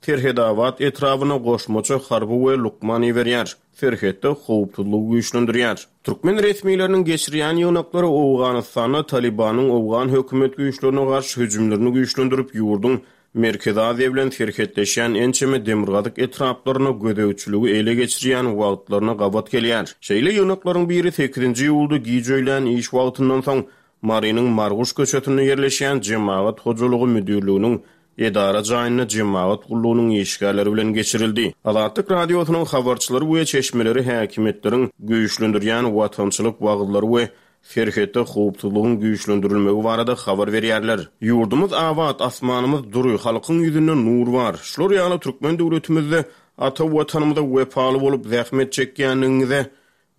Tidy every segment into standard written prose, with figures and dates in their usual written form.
Serhedabat etrabyna goşmaça harby we lukman iberýär, serhetde howpsuzlygy güýçlendirýär. Türkmen resmileriniň geçirýän ýygnaklary Owganystanda Talybanyň owgan hökümet güýçlerine garşy hüjümlerini güýçlendirip, ýurduň Merkezi Aziýa bilen serhetleşýän ençeme demirgazyk etraplaryna gözegçiligi ele geçirýän wagtlaryna gabat gelýär. Şeýle ýygnaklaryň biri sekizinji iýulda giç öýlän iş wagtyndan soň Marynyň Marguş köçesinde ýerleşýän Jemagat hojalygy müdirliginiň edara jaýynda jemagat gullugynyň işgärleri bilen geçirildi. Azatlyk Radiosynyň habarçylary we çeşmeleri häkimiýetleriň güýçlendirýän watançylyk wagyzlary we serhetde howpsuzlygyň güýçlendirilmegi barada habar berýärler. Ýurdumyz abat, asmanymyz dury, halkyň ýüzünde nur bar. Şular ýaly türkmen döwletimizde ata Watanymyza wepaly bolup zähmet çekýändigiňize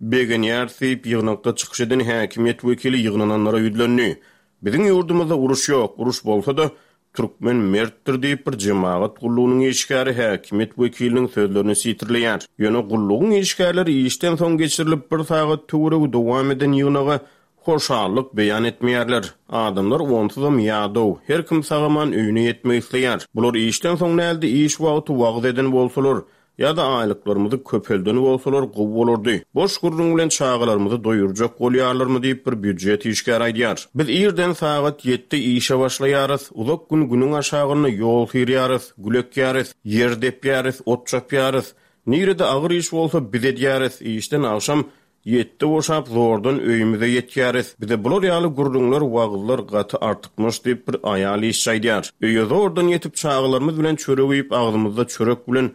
Begenýäris diýip, ýygnakda çykyş eden häkimiýet wekili ýygnananlara ýüzlendi. Biziň ýurdumyzda uruş ýok, uruş bolsa-da, türkmen mertdir diýip, bir jemagat gullugynyň işgäri häkimiýet wekiliniň sözlerini sitirleýär. Ýöne gullugyň işgärleri işden soň geçirilip, bir sagat töweregi dowam eden ýygnaga hoşallyk beýan etmeýärler. Adamlar onsuzam ýadaw, her kim sag-aman öýüne ýetmek isleýär. Bular işden soň däl-de, iş wagty wagyz eden bolsalar, Ýa-da aýlyklarymyzy köpelden bolsalar gowy bolardy. Boş gürrüň bilen çagalarymyzy doýurjak bolýarlarmy diýip bir býujet işgäri aýdýar. Biz irden sagat ýetde işe başlaýarys, uzak gün günüň aşagynda ýol syrýarys, gül ekýäris, ýer depýäris, ot çapýarys. Nirede agyr iş bolsa biz edýäris. Işden agşam Ýetde boşap zordan öýümize ýetýäris. Bize bular ýaly gürrüňler, wagyzlar gaty artykmaç diýip bir aýal işçi aýdýar. Öýe zordan ýetip çagalarymyz bilen çörek iýip agzymyzda çörek bilen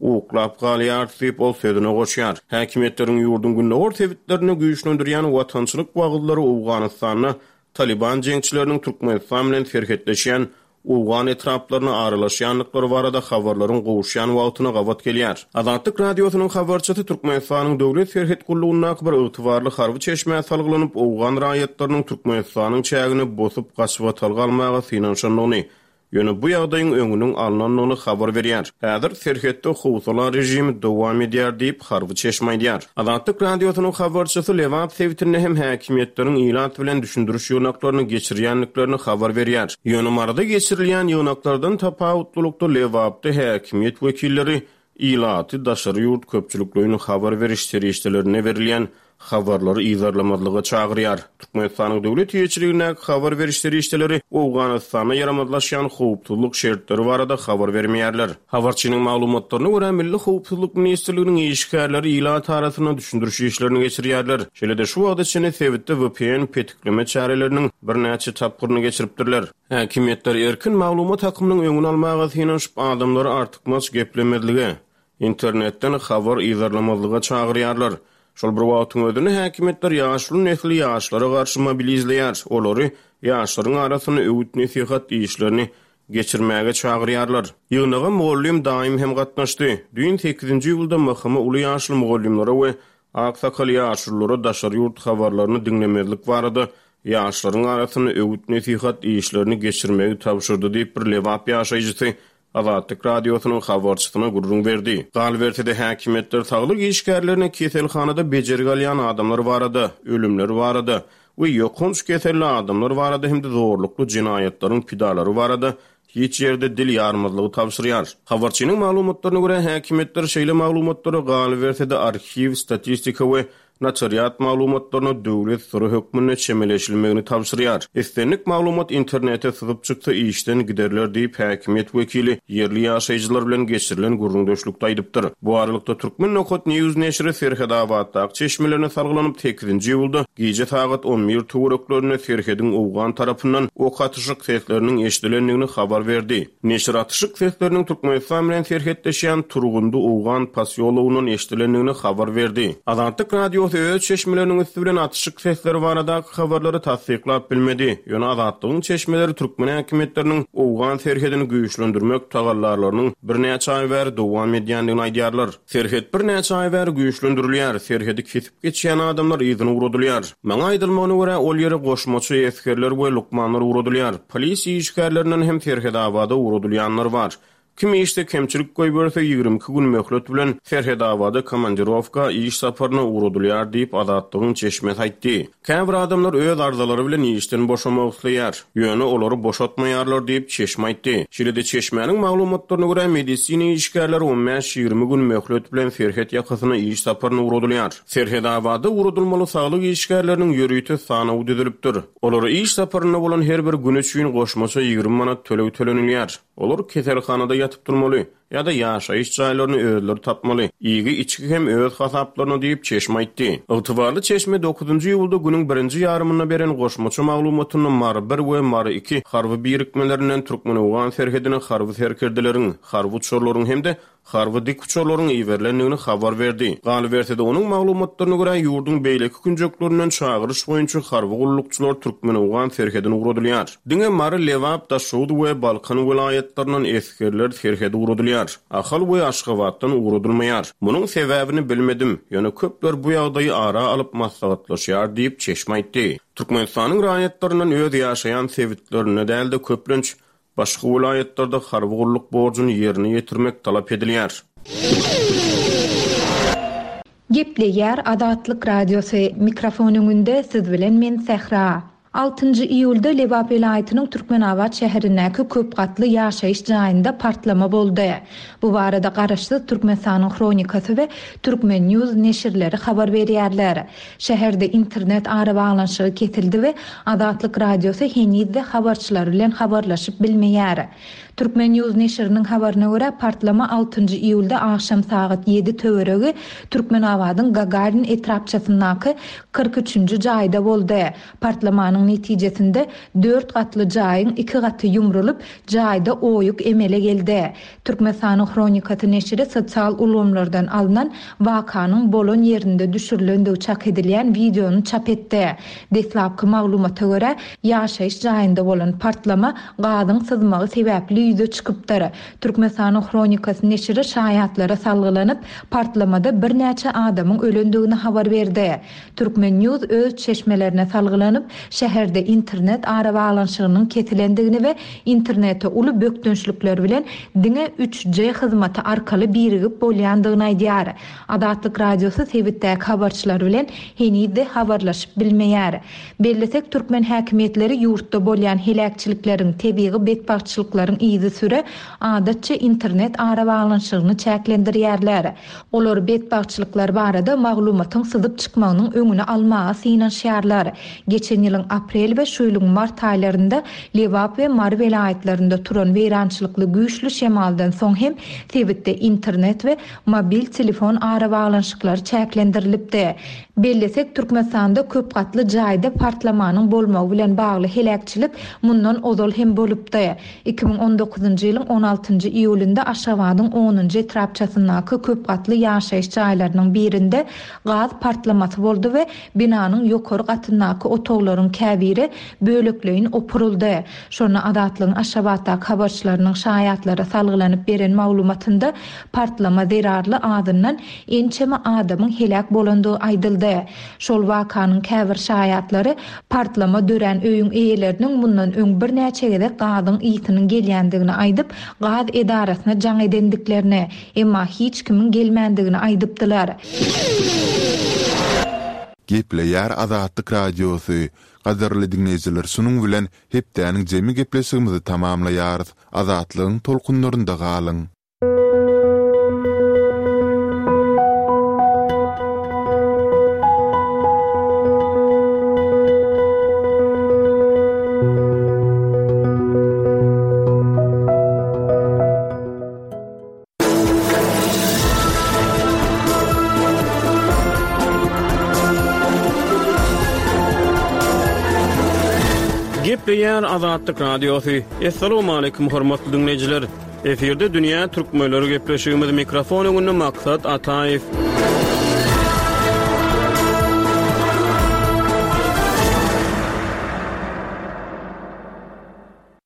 uklap galýarys diýip ol sözüne goşýar. Häkimiýetleriň ýurduň gündogar sebitlerinde güýçlendirýän watançylyk wagyzlary Owganystanda Talyban jeňçileriniň Türkmenistan bilen serhetleşýän owgan etraplaryna aralaşýandyklary barada habarlaryň gowuşýan wagtyna gabat gelýär. Azatlyk Radiosynyň habarçysy Türkmenistanyň Döwlet serhet gullugyndaky bir ygtybarly harby çeşmä salgylanyp, owgan raýatlarynyň Türkmenistanyň çägine bosup gaçybatalga almaga synanyşandygyny, Ýöne bu ýagdaýyň öňüniň alnandygyny habar berýär. Häzir serhetde howsala režimi dowam edýär diýip, harby çeşme aýdýar. Azatlyk Radiosynyň habarçysy Lebap sebitinde hem häkimiýetleriň ilat bilen düşündiriş ýygnaklaryny geçirýändiklerini habar berýär. Ýöne Maryda geçirilýän ýygnaklardan tapawutlylykda Lebapda häkimiýet wekilleri Ilaty daşary ýurt köpçülikleýin habar beriş serişdelerinde berilýän habarlary yzarlamazlyga çagyrýar. Türkmenistanyň döwlet eýeçiligindäki habar beriş serişdeleri Owganystanda ýaramazlaşýan howpsuzlyk şertleri barada habar bermeýärler. Habarçynyň maglumatlaryna görä, Milli howpsuzlyk ministrliginiň işgärleri ilat arasynda düşündiriş işlerini geçirýärler. Şeýle-de şu wagta çenli sebitde vpn petikleme çäreleriniň birnäçe tapgyryny geçiripdirler. Häkimiýetler erkin maglumat akymynyň öňüni almaga synanyşyp, adamlary artykmaç geplemezlige, internetden habar yzarlamazlyga çagyrýarlar. Şol bir wagtyň özünde häkimiýetler ýaşuly nesli ýaşlara garşy mobilizleýär, olary ýaşlaryň arasynda öwüt-nesihat işlerini geçirmäge çagyrýarlar. Ýygnaga mugallym daýym hem gatnaşdy. Düýn sekizinji iýulda MHM uly ýaşly mugallymlara we Aksakal ýaşululara daşary ýurt habarlaryny diňlemezlik barada ýaşlaryň arasynda öwüt-nesihat işlerini geçirmegi tabşyrdy diýip, bir lebap ýaşaýjysy Azatlyk Radiosynyň habarçysyna gürrüň berdi. Galyberse-de, häkimiýetler saglyk işgärlerine keselhanada bejergi alýan adamlar barada, ölümler barada we ýokanç keselli adamlar barada hem-de zorlukly jenaýatlaryň pidalary barada hiç ýerde dil ýarmazlygy tabşyrýar. Habarçynyň maglumatlaryna görä, häkimiýetler şeýle maglumatlara, galyberse-de, arhiw, statistika we notariat maglumatlaryna döwlet syry hökmünde çemeleşilmegini tabşyrýar. Islendik maglumat internete syzyp çyksa, işden giderler diýip, häkimiýet wekili ýerli ýaşaýjylar bilen geçirilen gürrüňdeşlikde aýdypdyr. Bu aralykda, Turkmen. News neşiri Serhetabatdaky çeşmelerine salgylanyp, sekizinji iýulda gije sagat on bir töwereklerinde serhediň owgan tarapyndan ok atyşyk sesleriniň eşidilendigini habar berdi. Neşir atyşyk sesleriniň Türkmenistan bilen serhetleşýän Turgundy owgan posýologyndan eşidilendigini habar berdi. Azatlyk Radiosy öz çeşmeleriniň üsti bilen atyşyk sesleri baradaky habarlary tassyklap bilmedi. Ýöne Azatlygyň çeşmeleri türkmen häkimiýetleriniň owgan serhedini güýçlendirmek tagallalarynyň birnäçe aý bäri dowam edýändigini aýdýarlar. Serhet birnäçe aý bäri güýçlendirilýär, serhedi kesip geçýän adamlar yzyna ugradylýar. Maňa aýdylmagyna görä, ol ýere goşmaça esgerler we lukmanlar ugradylýar. Polisiýa işgärlerinden hem Serhedabada ugradylýanlar bar. Kim işde kemçilik goýberse, 22 gün möhlet bilen Serhedabada komandirowka, iş saparyna ugradylýar diýip, Azatlygyň çeşmesi aýtdy. Käbir adamlar öz arzalary bilen işden boşamak isleýär, ýöne olary boşatmaýarlar diýip, çeşme aýtdy. Şeýle-de, çeşmäniň maglumatlaryna görä, medisina işgärleri on bäş-ýigrimi gün möhlet bilen serhet ýakasyna iş saparyna ugradylýar. Serhedabada ugradylmaly saglyk işgärleriniň ýörite sanawy düzülipdir. Olara iş saparynda bolan her bir güni üçin goşmaça 20 manat töleg tölenilýär. Olar keselhanada ýatyp durmaly ýa-da ýaşaýyş jaýlaryny özleri tapmaly. Iýgi-içgi hem öz hasaplaryna diýip, çeşme aýtdy. Ygtybarly çeşme dokuzynjy iýulda günüň birinji ýarymynda beren goşmaça maglumatynda Mary bir we Mary iki harby birikmelerinden türkmen-owgan serhedine harby serkerdeleriň, harby uçarlaryň hem-de harby dikuçarlaryň iberilendigini habar berdi. Galyberse-de, onuň maglumatlaryna görä, ýurduň beýleki künjeklerinden çagyryş boýunça harby gullukçylar türkmen-owgan serhedine ugradylýar. Diňe Mary, Lebap, Daşoguz we Balkan welaýatlaryndan esgerler serhede ugradylýar. Ahal we Aşgabatdan ugradylmaýar. Munuň sebäbini bilmedim, ýöne köpler bu ýagdaýy ara alyp maslahatlaşýar diýip, çeşme aýtdy. Türkmenistanyň raýatlaryndan öz ýaşaýan sebitlerinde däl-de, köplenç, Başga welaýatlarda harby gulluk borjuny ýerine ýetirmek talap edilýär. Gepleýär Azatlyk Radiosy, mikrofon öňünde siz bilen men Sähra. Altynjy iýulda Lebap welaýatynyň Türkmenabat şäherindäki köp gatly ýaşaýyş jaýynda partlama boldy. Bu barada Garaşsyz Türkmenistanyň Hronikasy we Turkmen. News neşirleri habar berýärler. Şäherde internet arabaglanyşygy kesildi we Azatlyk Radiosy heniz-de habarçylar bilen habarlaşyp bilmeýär. Turkmen. News neşiriniň habaryna görä, partlama altynjy iýulda agşam sagat ýedi töweregi Türkmenabadyň Gagarin etrapçasyndaky 43 üçünji jaýda boldy. Partlamanyň netijesinde dört gatly jaýyň iki gaty ýumrulyp, jaýda oýuk emele geldi. Türkmenistanyň Hronikasy neşiri sosial ulgamlardan alnan wakanyň bolan ýerinde düşürilendigi çak edilýän wideony çap etdi. Deslapky maglumata görä, ýaşaýyş jaýynda bolan partlama gazyň syzmagy sebäpli ýüze çykypdyr. Türkmenistanyň Hronikasy neşiri şaýatlara salgylanyp, partlamada birnäçe adamyň ölendigini habar berdi. Turkmen. News öz çeşmelerine salgylanyp, şäherde internet arabaglanyşygynyň kesilendigini we internete uly bökdençlikler bilen diňe üç G hyzmaty arkaly birigip bolýandygyny aýdýar. Azatlyk Radiosy sebitdäki habarçylar bilen heniz-de habarlaşyp bilmeýär. Bellesek, türkmen häkimiýetleri ýurtda bolýan heläkçilikleriň, tebigy betbagtçylyklaryň yzysüre adatça internet arabaglanyşygyny çäklendirýärler. Olar betbagtçylyklar barada maglumatyň syzyp çykmagynyň öňüni almaga synanyşýarlar. Geçen ýylyň aprel we şu ýylyň mart aýlarynda Lebap we Mary welaýatlarynda turan weýrançylykly güýçli şemaldan soň hem sebitde internet we mobil telefon arabaglanyşyklary çäklendirilipdi. Bellesek, Türkmenistanda köp gatly jaýda partlamanyň bolmagy bilen bagly heläkçilik mundan ozal hem bolupdy. 2019-njy ýylyň on altynjy iýulynda Aşgabadyň onunjy etrapçasyndaky köp gatly ýaşaýyş jaýlarynyň birinde gaz partlamasy boldy we binanyň ýokary gatyndaky otaglaryň käbiri bölekleýin opuryldy. Şonda Azatlygyň Aşgabatdaky habarçylarynyň şaýatlara salgylanyp beren maglumatynda partlama zerarly azyndan ençeme adamyň heläk bolandygy aýdyldy. Şol wakanyň käbir şaýatlary partlama dörän öýüň eýeleriniň mundan öň birnäçe gezek gazyň ysynyň gelýändigini aýdyp, gaz edarasyna jaň edendiklerini, emma hiç kimiň gelmändigini aýdypdylar. Gepleýär Azatlyk Radiosy, Gadyrly diňleýjiler şunuň bilen hepdäniň jemi gepleşigimizi tamamlaýarys. Azatlygyň tolkunlarynda galyň! Gepleýär Azatlyk Radiosy. Assalamualaikum hormatly diňleýjiler. Efirde dünýä türkmenleri gepleşigimiz mikrofon öňünde Maksat Ataýew.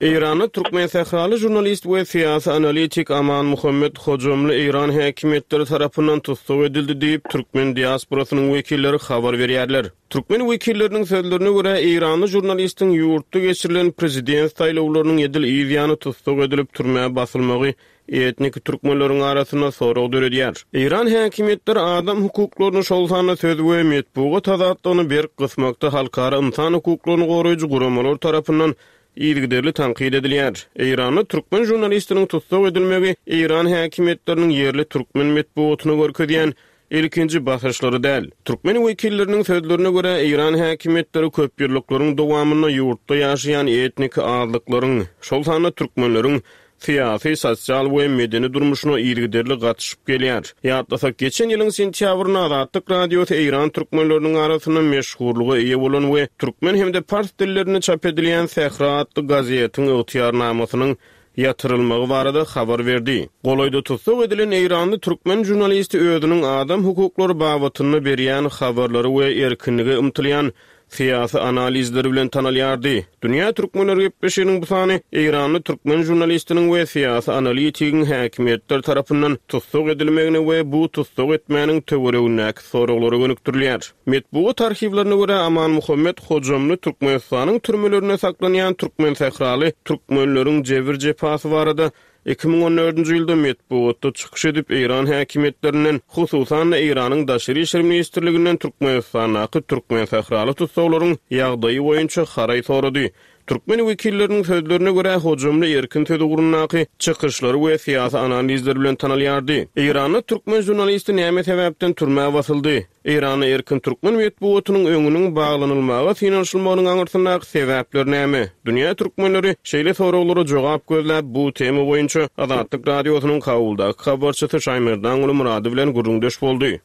Eýranda türkmensähraly žurnalist we syýasy analitik Amanmuhammet Hojamly eýran häkimiýetleri tarapyndan tussag edildi diýip, türkmen diasporasynyň wekilleri habar berýärler. Türkmen wekilleriniň sözlerine görä, eýranly žurnalistiň ýurtda geçirilen prezident saýlawlarynyň edil yz ýany tussag edilip, türmä basylmagy etniki türkmenleriň arasynda sorag döredýär. Eýran häkimiýetleri adam hukuklaryny, şol sanda söz we metbugat azatlygyny berk gysmakda halkara ynsan hukuklaryny goraýjy guramalar tarapyndan yzygiderli tankyt edilýär. Eýranda türkmen žurnalistiniň tussag edilmegi eýran häkimiýetleriniň ýerli türkmen metbugatyna görkezýän ilkinji basyşlary däl. Türkmen wekilleriniň sözlerine görä, eýran häkimiýetleri köpýyllyklaryň dowamynda ýurtda ýaşaýan etniki azlyklaryň, şol sanda türkmenleriň syýasy, sosial we medeni durmuşyna yzygiderli gatyşyp gelýär. Ýatlasak, geçen ýylyň sentýabrynda Azatlyk Radiosy eýran türkmenleriniň arasynda meşhurlyga eýe bolan we türkmen hem-de pars dillerinde çap edilýän Sähra atly gazetiň ygtyýarnamasynyň ýatyrylmagy barada habar berdi. Golaýda tussag edilen eýranly türkmen žurnalisti özüniň adam hukuklary babatynda berýän habarlary we erkinlige ymtylýan syýasy analizleri bilen tanalýardy. Dünýä türkmenleri gepleşiginiň bu sany eýranly türkmen žurnalistiniň we syýasy analitigiň häkimiýetler tarapyndan tussag edilmegine we bu tussag etmäniň töweregindäki soraglara gönükdirilýär. Metbugat arhiwlerine görä, Amanmuhammet Hojamly Türkmenistanyň türmelerinde saklanýan türkmensähraly türkmenleriň jebir-jepasy barada 2014-nji ýylda metbugatda çykyş edip, eýran häkimiýetlerinden, hususan-da, Eýranyň Daşary işler ministrliginden Türkmenistandaky türkmensähraly tussaglaryň ýagdaýy boýunça haraý sorady. Türkmen wekilleriniň sözlerine görä, Hojamly erkin söz ugrundaky çykyşlary we syýasy analizleri bilen tanalýardy. Eýranda türkmen žurnalisti näme sebäpden türmä basyldy? Eýranda erkin türkmen metbugatynyň öňüniň baglanylmaga synanyşylmagynyň aňyrsyndaky sebäpler näme? Dünýä türkmenleri şeýle soraglara jogap gözläp, bu tema boýunça Azatlyk Radiosynyň Kabuldaky habarçysy Şaýmerdanguly Myrady bilen gürrüňdeş boldy.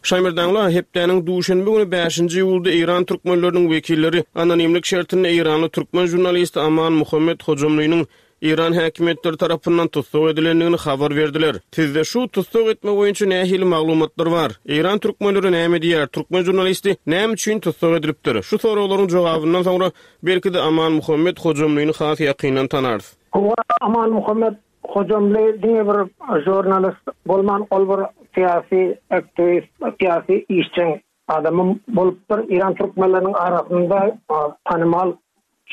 Şaýmerdanguly, hepdäniň duşenbe güni bäşinji iýulda eýran türkmenleriniň wekilleri anonimlik şertinde eýranly türkmen žurnalisti Aman Muhammet Hojamlynyň Eýran häkimiýetleri tarapyndan tussag edilendigini habar berdiler. Sizde şu tussag etme boýunça nähili maglumatlar bar? Eýran türkmenleri näme diýýär? Türkmen žurnalisti näme üçin tussag edilipdir? Şu soraglaryň jogabyndan soňra, belki-de, Amanmuhammet Hojamlyny has ýakyndan tanarys. Hawa, Amanmuhammet Hojamly diňe bir žurnalist bolman, ol bir syýasy aktiwist, syýasy işjeň adamam bolupdyr. Eýran türkmenleriniň arasynda tanymal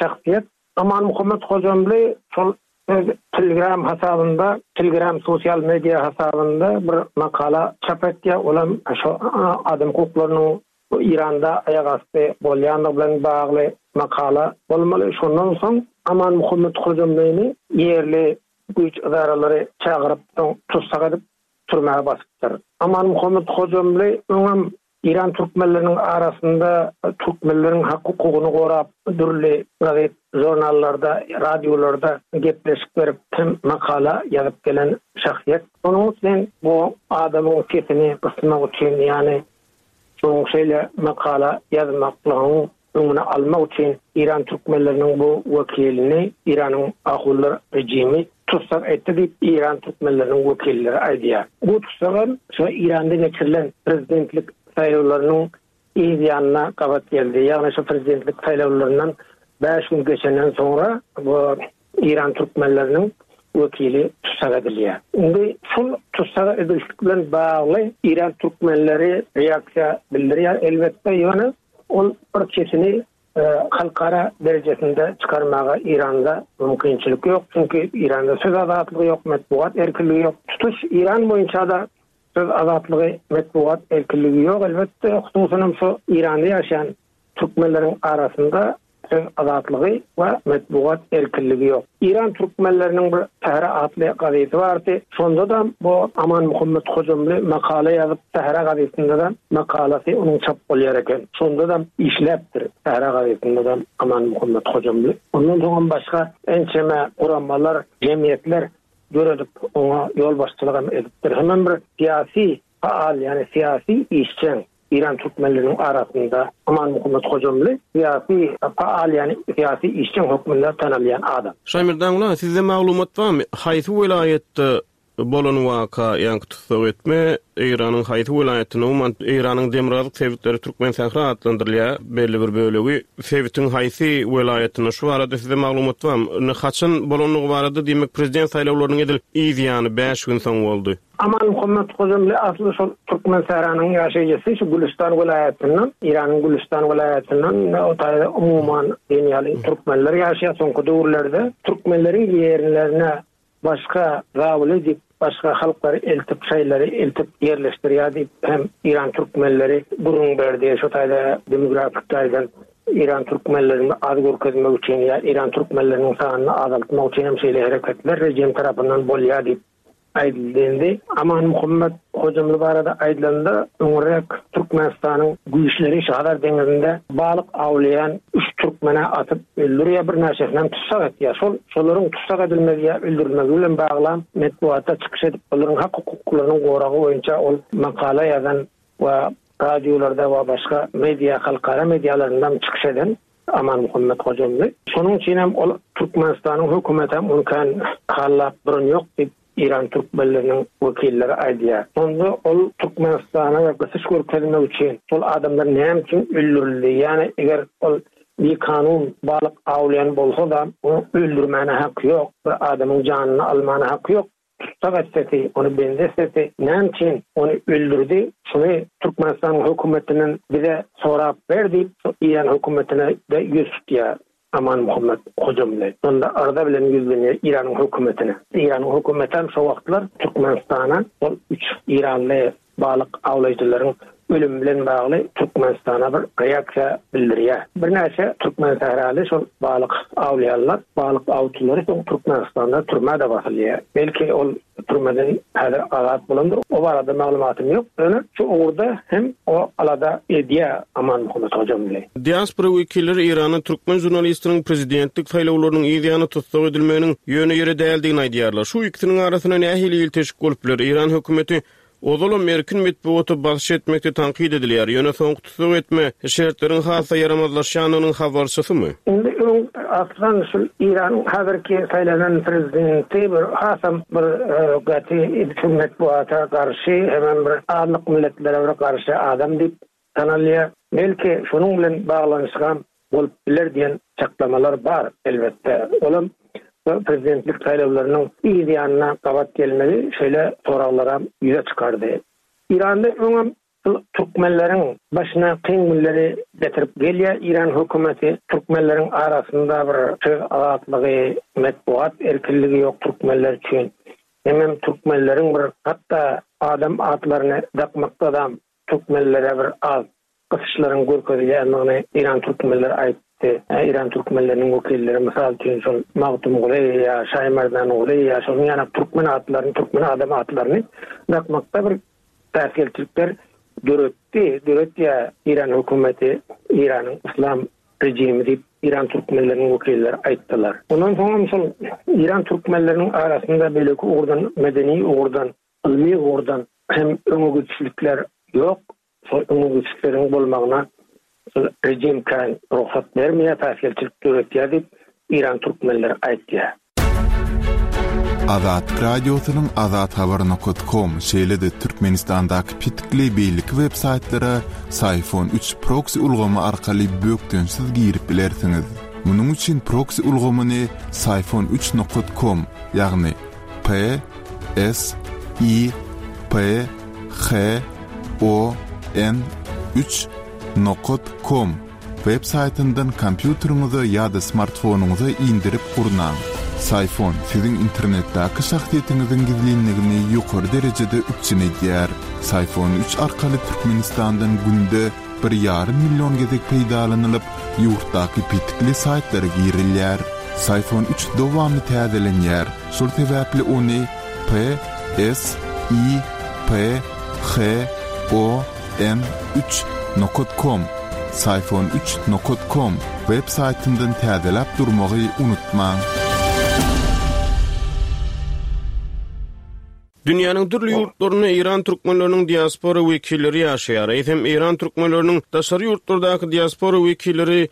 şahsyýet. Amanmuhammet Hojamly şol öz Telegram hasabynda, Telegram sosial media hasabynda bir makala çap etýär. Olam şo adam hukuklarynyň Eýranda aýak asty bolýandygy bilen bagly makala bolmaly. Şondan soň Amanmuhammet Hojamlyny ýerli güýç ydaralary çagyryp, soň tussag edip, türmä basypdyr. Amanmuhammet Hojamly öňem Eýran türkmenleriniň arasynda türkmenleriň hak-hukugyny gorap, dürli gazet, žurnallarda, radiolarda gepleşik berip hem makala ýazyp gelen şahsyýet. Şonuň üçin bu adamyň sesini gysmak üçin, ýagny şonuň şeýle makala ýazmaklygyň öňüni almak üçin Eýran türkmenleriniň bu wekilini Eýranyň ahunlar režimi tussag etdi diýip, Eýran türkmenleriniň wekilleri aýdýar. Bu tussagam şo Eýranda geçirilen prezidentlik saýlawlarynyň yz ýanyna gabat geldi. Ýagny şo prezidentlik saýlawlaryndan bäş gün geçenden soňra bu Eýran türkmenleriniň wekili tussag edilýär. Indi şol tussag edilişlik bilen bagly Eýran türkmenleri reaksiýa bildirýär elbetde, ýöne ol bir sesini halkara derejesinde çykarmaga Eýranda mümkinçilik ýok. Çünki Eýranda söz azatlygy ýok, metbugat erkinligi ýok. Tutuş Eýran boýunça-da söz azatlygy, metbugat erkinligi ýok elbetde, hususanam şu Eýranda ýaşaýan türkmenleriň arasynda söz azatlygy we metbugat erkinligi ýok. Eýran türkmenleriniň bir Sähra atly gazeti bardy. Şonda-da bu Amanmuhammet Hojamly makala ýazyp, Sähra gazetinde-de makalasy onuň çap bolýar eken. Şonda-da işläpdir Sähra gazetinde-de Amanmuhammet Hojamly. Ondan soňam başga ençeme guramalar, jemgyýetler döredip, oňa ýolbaşçylygam edipdir. Hemem bir syýasy faal, ýagny syýasy işjeň. Eýran türkmenleriniň arasynda Amanmuhammet Hojamly syýasy faal, ýagny syýasy işjeň hökmünde tanalýan adam. Şaýmerdan sizde maglumat barmy? Haýsy welaýatda bolan waka, ýaňky tussag etme Eýranyň haýsy welaýatynda, umuman Eýranyň demirgazyk sebitleri Türkmensähra atlandyrylýar, belli bir bölegi, sebitiň haýsy welaýatynda, şu barada sizde maglumat barmy? Indi haçan bolandygy barada, diýmek prezident saýlawlarynyň edil yz ýany, bäş gün soň boldy. Amanmuhammet Hojamly asly şol Türkmensähranyň ýaşaýjysy, şu Gülüstan welaýatyndan, Eýranyň Gülüstan welaýatyndan, o taýda umuman diýen ýaly türkmenler ýaşaýar. Soňky döwürlerde türkmenleriň ýerlerine. Başga zabuly diýip, başga halklary eltip, şaýlary eltip ýerleşdirýär diýip hem Eýran türkmenleri gürrüň berdi. Şo taýda demografik taýdan Eýran türkmenlerini az görkezmek üçin ýa Eýran türkmenleriniň sanyny azaltmak üçin hem şeýle hereketler rejim tarapyndan bolýar diýip aýdyldy. Indi Amanmuhammet Hojamly barada aýdylanda, öňräk Türkmenistanyň güýçleri şu Hazar deňizinde balyk awlaýan üç türkmeni atyp öldürýär, birnäçesinem tussag etýär. Şol şolaryň tussag edilmegi ýa öldürilmegi bilen baglam metbugatda çykyş edip, olaryň hak-hukuklarynyň goragy boýunça ol makala ýazan we radiolarda we başga media, halkara medialarynda çykyş eden Amanmuhammet Hojamly. Şonuň üçin hem ol Türkmenistanyň hökümetem ony kän hallap duran ýok diýip, Eýran türkmenleriniň wekilleri aýdýar. Şonda ol Türkmenistana we gysyş görkezmek üçin şol adamlar näme üçin öldürildi, ýagny eger ol bikanun balyk awlaýan bolsa-da, ony öldürmäne haky ýok, bir adamyň janyny almana haky ýok. Tussag etsesi, ony bendi etsesi, näme üçin ony öldürdi, şuny Türkmenistanyň hökümetinden bize sorap ber diýip, şu Eýran hökümetine-de ýüz tutýar Amanmuhammet Hojamly. Şonda arza bilen ýüzlenýär Eýranyň hökümetine. Eýranyň hökümetem şo wagtlar Türkmenistana şol üç eýranly balyk awlaýjylaryň ölümi bilen bagly Türkmenistana bir reaksiýa bildirýär. Birnäçe türkmensähraly şol balyk awlaýanlar, balyk awçylary soň Türkmenistanda türmä-de basylýar. Belki ol türmeden häzir azat bolandyr, o barada maglumatym ýok. Ýöne şu ugurda hem o alada edýär Amanmuhammet Hojamly. Diaspora wekilleri Eýranda türkmen žurnalistiniň prezidentlik saýlawlarynyň yz ýany tussag edilmeginiň ýöne ýere däldigini aýdýarlar. Şu ikisiniň arasynda nähili ilteşik bolup biler? Eýran hökümeti ozalam erkin metbugata basyş etmekde tankyt edilýär, ýöne soňky tussag etme şertleriň has-da ýaramazlaşýandygynyň habarçysymy? Indi öň aslan şul Eýranyň häzirki saýlanan prezidenti bir hasam bir gaty şu metbugata garşy hemem bir azlyk milletlere bir garşy adam diýip tanalýar. Belki, şonuň bilen baglanyşygam bolup biler diýen çaklamalar bar, elbetde. Olam bu prezidentlik saýlawlarynyň yz ýanyna gabat gelmegi şeýle soraglaram ýüze çykardy. Eýranda öňem şul türkmenleriň başyna kyn günleri getirip gelýär Eýran hökümeti. Türkmenleriň arasynda bir söz azatlygy, metbugat erkinligi ýok türkmenler üçin. Hemem türkmenleriň bir hatda adam atlaryny dakmakdadam Türkmenlere bir az gysyşlaryň görkezilýändigini Eýran türkmenleri aýtdy. Eýran türkmenleriniň wekilleri, mysal üçin, şol Magtymguly ýa Şaýmerdanguly ýa şonuň ýaly türkmen atlaryny, türkmen adam atlaryny dakmakda bir päsgelçilikler döretdi, döretýär Eýran hökümeti, Eýranyň yslam režimi diýip, Eýran türkmenleriniň wekilleri aýtdylar. Ondan soňam şol Eýran türkmenleriniň arasynda beýleki ugurdan, medeni ugurdan, Ylmy ugurdan hem öňe gidişlikler ýok. Şol öňe gidişlikleriň bolmagyna şol rejim kän rugsat bermeýär, päsgelçilik döretýär diýip, Eýran türkmenleri aýtýar. Azatlyk Radiosynyň Azathabar nokat kom, şeýle-de Türkmenistandaky petikli beýleki web saýtlara Syfon üç proksi ulgamy arkaly bökdençsiz girip bilersiňiz. Munuň üçin proksi ulgamyny Syfon üç nokat kom, ýagny P S I P H O N üç nokat kom web saýtyndan kompýuteriňize ýa-da smartfonyňyza indirip gurnaň. Syfon siziň internetdäki şahsyýetiňiziň gizlinligini ýokary derejede üpjün edýär. Syfon üç arkaly Türkmenistandan günde bir ýarym million gezek peýdalanylyp, ýurtdaky petikli saýtlara girilýär. Syfon üç dowamly täzelenýär, şol sebäpli ony P, S, I, P, H, O, N üç nokat kom, Syfon üç nokat kom, web saýtyndan täzeläp durmagy unutmaň. Dünýäniň dürli ýurtlarynda eýran türkmenleriniň diaspora wekilleri ýaşaýar. Eýsem, eýran türkmenleriniň daşary ýurtlardaky diaspora wekilleri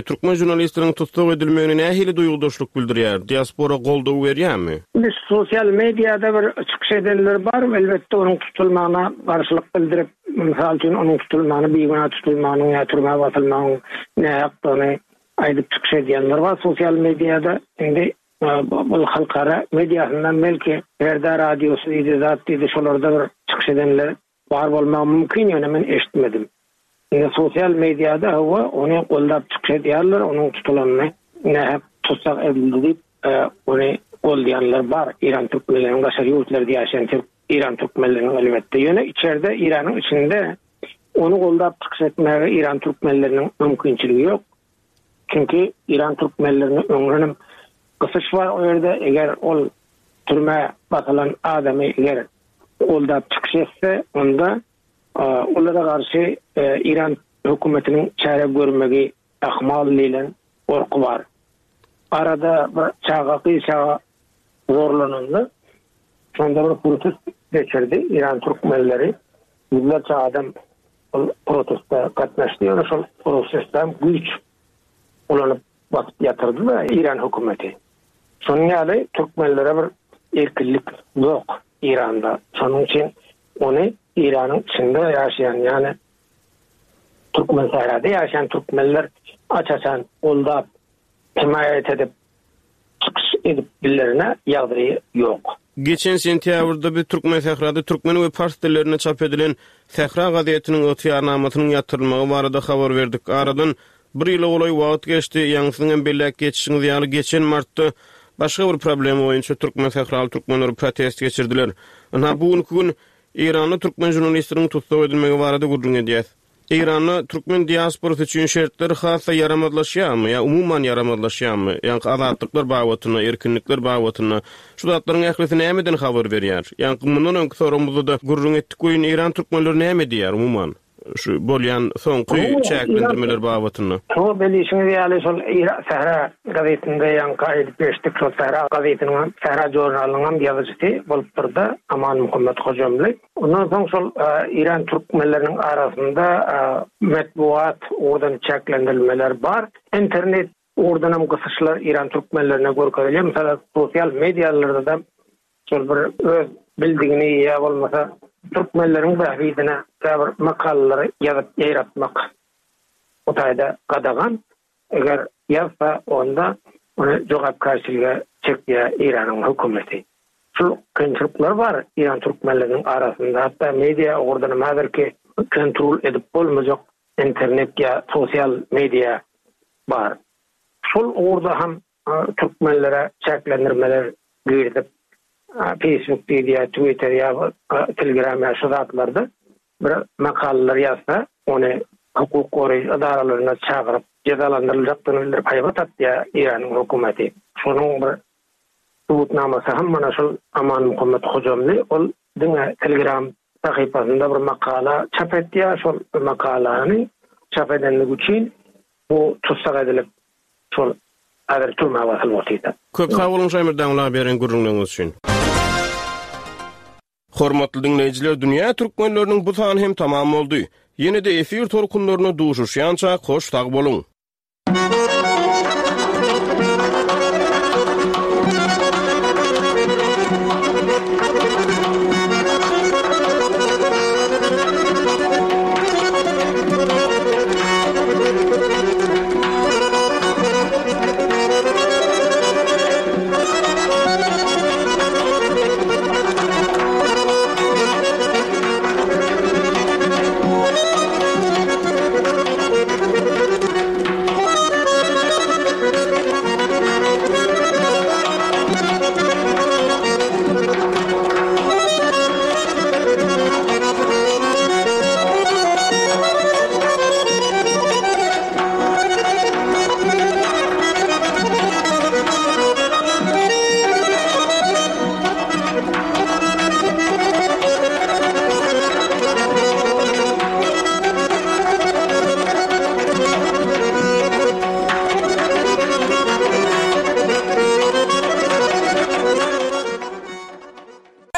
türkmen žurnalistleriniň tussag edilmegine nähili duýgudaşlyk bildirýär? Diaspora goldaw berýärmi? Indi sosial mediada bir çykyş edenler bar, elbetde onuň tutulmagyna garşylyk bildirip, mysal üçin onuň tutulmagyny bigünä tutulmagynyň ýa türmä basylmagyň nähakdygyny aýdyp çykyş edýänler bar sosial mediada. Indi Bul halkara mediasyndan belki Perda radiosy diýdi zat diýdi şolarda bir çykyş edenler bar bolmagy mümkin ýöne men eşitmedim. Indi sosial mediada hawa ony goldap çykyş edýärler onuň tutulanyny nähak tussag edildi diýip ony. goldaýanlar bar. Eýran türkmenleriniň daşary ýurtlarda ýaşaýan türk Eýran türkmenleriniň elbetde. Ýöne içerde Eýranyň içinde ony goldap çykyş etmäge Eýran türkmenleriniň mümkinçiligi ýok. Çünki Eýran türkmenlerine öňdenem gysyş bar o ýerde. Eger ol türmä basylan adamy eger goldap çykyş etse, onda olara garşy Eýran hökümetiniň çäre görmegi ahmal diýlen gorky bar. Arada bir çaga, gyz çaga zorlananda şonda bir protest geçirdi Eýran türkmenleri. Ýüzlerçe adam ol proteste gatnaşdy. Ýöne şol protestde hem güýç ulanyp basyp ýatyrdy-da Eýran hökümeti. Şonuň ýaly türkmenlere bir erkinlik ýok Eýranda. Şonuň üçin ony Eýranyň içinde ýaşaýan, ýagny Türkmensährada ýaşaýan türkmenler aç-açan goldap, hemaýat edip çykyş edip bilerine ýagdaýy ýok. Geçen sentýabrda biz Türkmensährada türkmen we pars dillerinde çap edilen Sähra gazetiniň ygtyýarnamasynyň ýatyrylmagy barada habar berdik. Aradan bir ýyla golaý wagt geçdi. Ýaňy siziň hem belläp geçişiňiz ýaly, geçen martda başga bir problema boýunça türkmensähraly türkmenler protest geçirdiler. Ynha, bu günki gün Eýranda türkmen žurnalistiniň tussag edilmegi barada gürrüň edýäs. Eýranda türkmen diasporasy üçin şertler has-da ýaramazlaşýarmy ýa umuman ýaramazlaşýarmy? Ýaňky azatlyklar babatynda, erkinlikler babatynda şu zatlaryň ählisi nämeden habar berýär? Ýaňky mundan öňki soragymyzda-da gürrüň etdik welin Eýran türkmenleri näme diýýär umuman? Şu bolýan soňky çäklendirmeler babatynda. Şo bilişiňiz ýaly şol Sähra gazetinde ýaňky aýdyp geçdik şol Sähra gazetiniň hem Sähra žurnalynyň hem ýazyjysy bolupdyrda Amanmuhammet Hojamly. Ondan soň şol Eýran türkmenleriniň arasynda metbugat ugurdan çäklendirilmeler bar. Internet ugurdan hem gysyşlar Eýran türkmenlerine görkezilýär. Mysal sosial medialarda-da Şol bir öz bildigini ýa bolmasa türkmenleriň bähbidine käbir makalalary ýazyp ýaýratmak bu taýda gadagan. Eger ýazsa onda ony jogapkärçilige çekýär Eýranyň hökümeti. Şul kynçylyklar bar Eýran türkmenleriniň arasynda hatda media ugurdanam häzirki kontrol edip bolmajak internet ýa sosial media bar. Şol ugurda hem türkmenlere çäklendirmeler girizip, Facebook diýilýär, Twitter ýa Telegram ýa şu zatlarda bir makalalar ýazsa, ony hukuk goraýjy edaralaryna çagyryp, jezalandyryljakdygyny bildirip haýbat atýar Eýranyň hökümeti. Şonuň bir subutnamasy hem mana şol Amanmuhammet Hojamly, ol diňe Telegram sahypasynda bir makala çap etýär, şol makalany çap edenligi üçin bu tussag edilip, Şol häzir türmä basylyp otyrda. Köp sag boluň Şaýmyrdaňla beren gürrüňleriňiz üçin. Hormatly diňleýjiler Dünýä Türkmenleriniň bu sany hem tamam boldy. Ýene-de efir tolkunlarynda duşuşýançak hoş sag boluň.